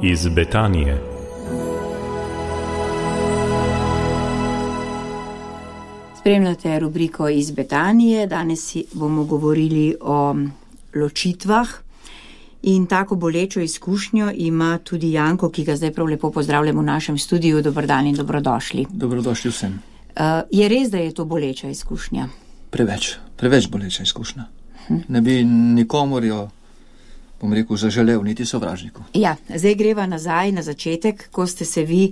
iz Betanije. Spremljate rubriko iz Betanije. Danes bomo govorili o ločitvah in tako bolečo izkušnjo ima tudi Janko, ki ga zdaj prav lepo pozdravljamo v našem studiu. Dober dan in dobrodošli. Dobrodošli vsem. Je res, da je to boleča izkušnja? Preveč boleča izkušnja. Ne bi nikomor jo, bom rekel, zaželel, niti sovražniku. Ja, zdaj greva nazaj na začetek, ko ste se vi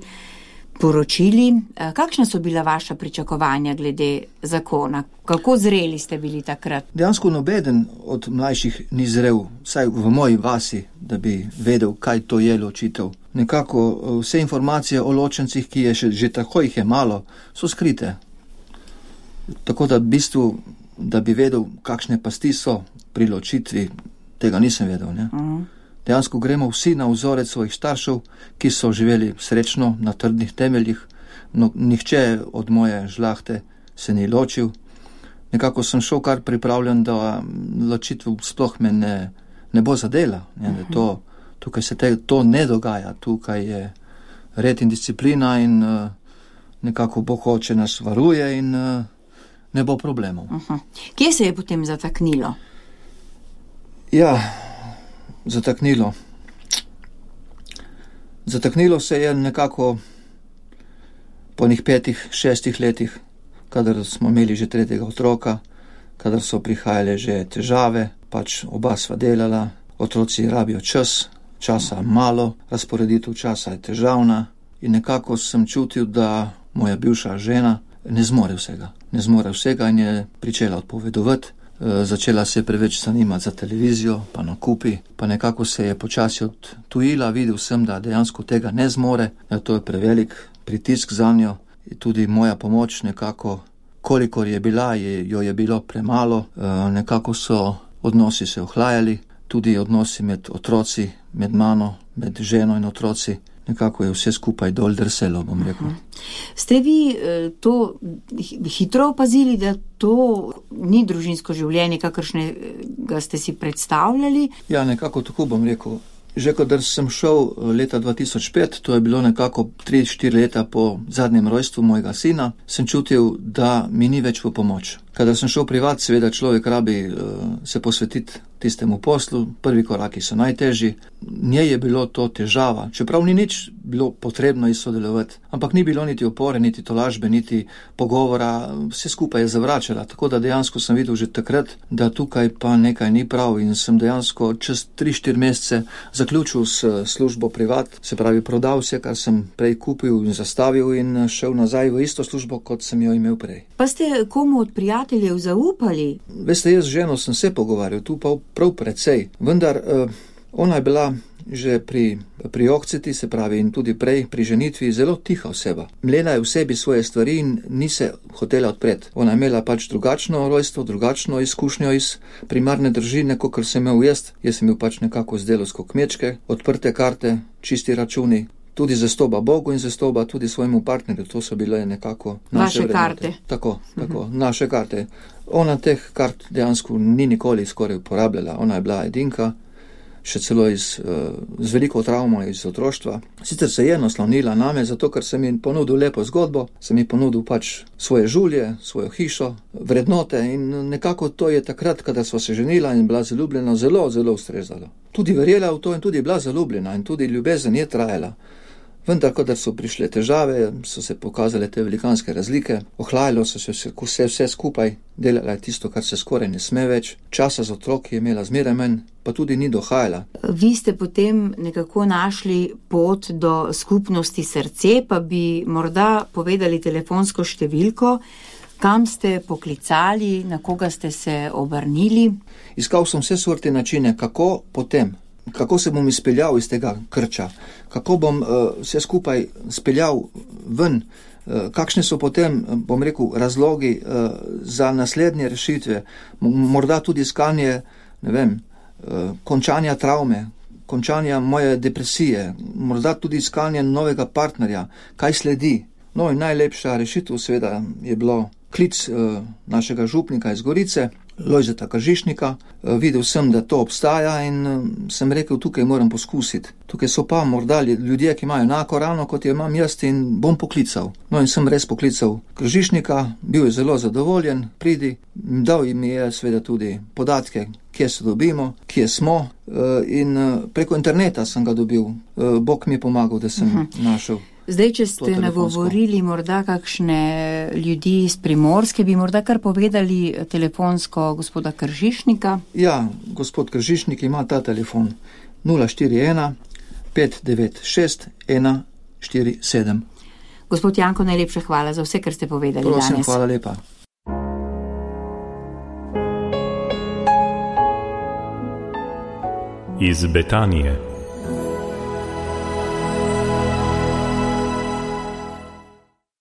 poročili. Kakšna so bila vaša pričakovanja glede zakona? Kako zreli ste bili takrat? Dejansko nobeden od mlajših ni zrel, vsaj v moji vasi, da bi vedel, kaj to je ločitev. Nekako vse informacije o ločencih, ki je že tako jih je malo, so skrite. Tako da v bistvu, da bi vedel, kakšne pasti so pri ločitvi, tega nisem vedel. Ne? Dejansko gremo vsi na vzorec svojih staršev, ki so živeli srečno na trdnih temeljih. No, nihče od moje žlahte se ni ločil. Nekako sem šel kar pripravljen, da ločitev sploh me ne bo zadela. Tukaj se to ne dogaja. Tukaj je red in disciplina in nekako Bog hoče nas varuje in ne bo problemov. Kje se je potem zataknilo? Ja, zataknilo. Zataknilo se je nekako po 5-6 letih, kadar smo imeli že 3. otroka, kadar so prihajale že težave, pač oba sva delala, otroci rabijo časa malo, razporeditev časa je težavna in nekako sem čutil, da moja bivša žena ne zmore vsega in je pričela odpovedovati. Začela se je preveč zanimati za televizijo, pa nakupi, pa nekako se je počasi odtujila, videl sem, da dejansko tega ne zmore, da to je prevelik pritisk za njo. Tudi moja pomoč nekako, kolikor je bila, jo je bilo premalo, nekako so odnosi se ohlajali, tudi odnosi med otroci, med mano, med ženo in otroci. Nekako je vse skupaj dol drselo, bom rekel. Ste vi to hitro opazili, da to ni družinsko življenje, kakršnega ste si predstavljali? Ja, nekako tako bom rekel. Že kadar sem šel leta 2005, to je bilo nekako 3-4 leta po zadnjem rojstvu mojega sina, sem čutil, da mi ni več v pomoč. Kadar sem šel privat, seveda človek rabi se posvetiti tistemu poslu, prvi koraki so najtežji. Njej je bilo to težava, čeprav ni nič bilo potrebno izsodelovati, ampak ni bilo niti opore, niti tolažbe, niti pogovora, vse skupaj je zavračala, tako da dejansko sem videl že takrat, da tukaj pa nekaj ni prav in sem dejansko čez 3-4 mesece zaključil s službo privat, se pravi prodal vse, kar sem prej kupil in zastavil in šel nazaj v isto službo, kot sem jo imel prej. Pa ste komu od prijateljev zaupali? Veste, jaz z ženo sem se pogovarjal, tu pa prav precej, vendar ona je bila že pri okceti, se pravi, in tudi prej pri ženitvi zelo tiha oseba. Mlela je v sebi svoje stvari in ni se hotela odpreti. Ona je imela pač drugačno rojstvo, drugačno izkušnjo iz primarne družine, kakor sem imel jaz. Jaz sem imel pač nekako z delovsko kmečke, odprte karte, čisti računi, tudi zastoba Bogu in zastoba tudi svojemu partnerju. To so bile nekako naše vrednote. Karte. Tako, naše karte. Ona teh kart dejansko ni nikoli skoraj uporabljala. Ona je bila edinka, še celo z veliko travmo iz otroštva. Sicer se je naslonila name, zato ker sem jim ponudil lepo zgodbo, sem jim ponudil pač svoje življe, svojo hišo, vrednote in nekako to je takrat, kada sva se ženila in bila zaljubljena, zelo, zelo ustrezalo. Tudi verjela v to in tudi bila zaljubljena in tudi ljubezen je trajala. Vendar, kadar so prišle težave, so se pokazale te velikanske razlike, ohlajalo so se vse skupaj, delala je tisto, kar se skoraj ne sme več, časa z otroki je imela zmeraj manj, pa tudi ni dohajala. Vi ste potem nekako našli pot do skupnosti srce, pa bi morda povedali telefonsko številko, kam ste poklicali, na koga ste se obrnili? Iskal sem vse sorte načine, kako se bom izpeljal iz tega krča, kako bom vse skupaj speljal ven, kakšne so potem, bom rekel, razlogi za naslednje rešitve, morda tudi iskanje, končanja travme, končanja moje depresije, morda tudi iskanje novega partnerja, kaj sledi. No in najlepša rešitev seveda je bilo klic našega župnika iz Gorice, Lojzeta Kržišnika. Videl sem, da to obstaja in sem rekel, tukaj moram poskusiti. Tukaj so pa morda ljudje, ki imajo enako rano, kot jo imam jaz, in bom poklical. No in sem res poklical Kržišnika, bil je zelo zadovoljen, pridi, dal mi je seveda tudi podatke, kje se dobimo, kje smo, in preko interneta sem ga dobil. Bog mi je pomagal, da sem našel. Zdaj, če ste nagovorili morda kakšne ljudi iz Primorske, bi morda kar povedali telefonsko gospoda Kržišnika? Ja, gospod Kržišnik ima ta telefon 041 596 147. Gospod Janko, najlepša hvala za vse, kar ste povedali danes. Prosim, hvala lepa. Iz Betanije.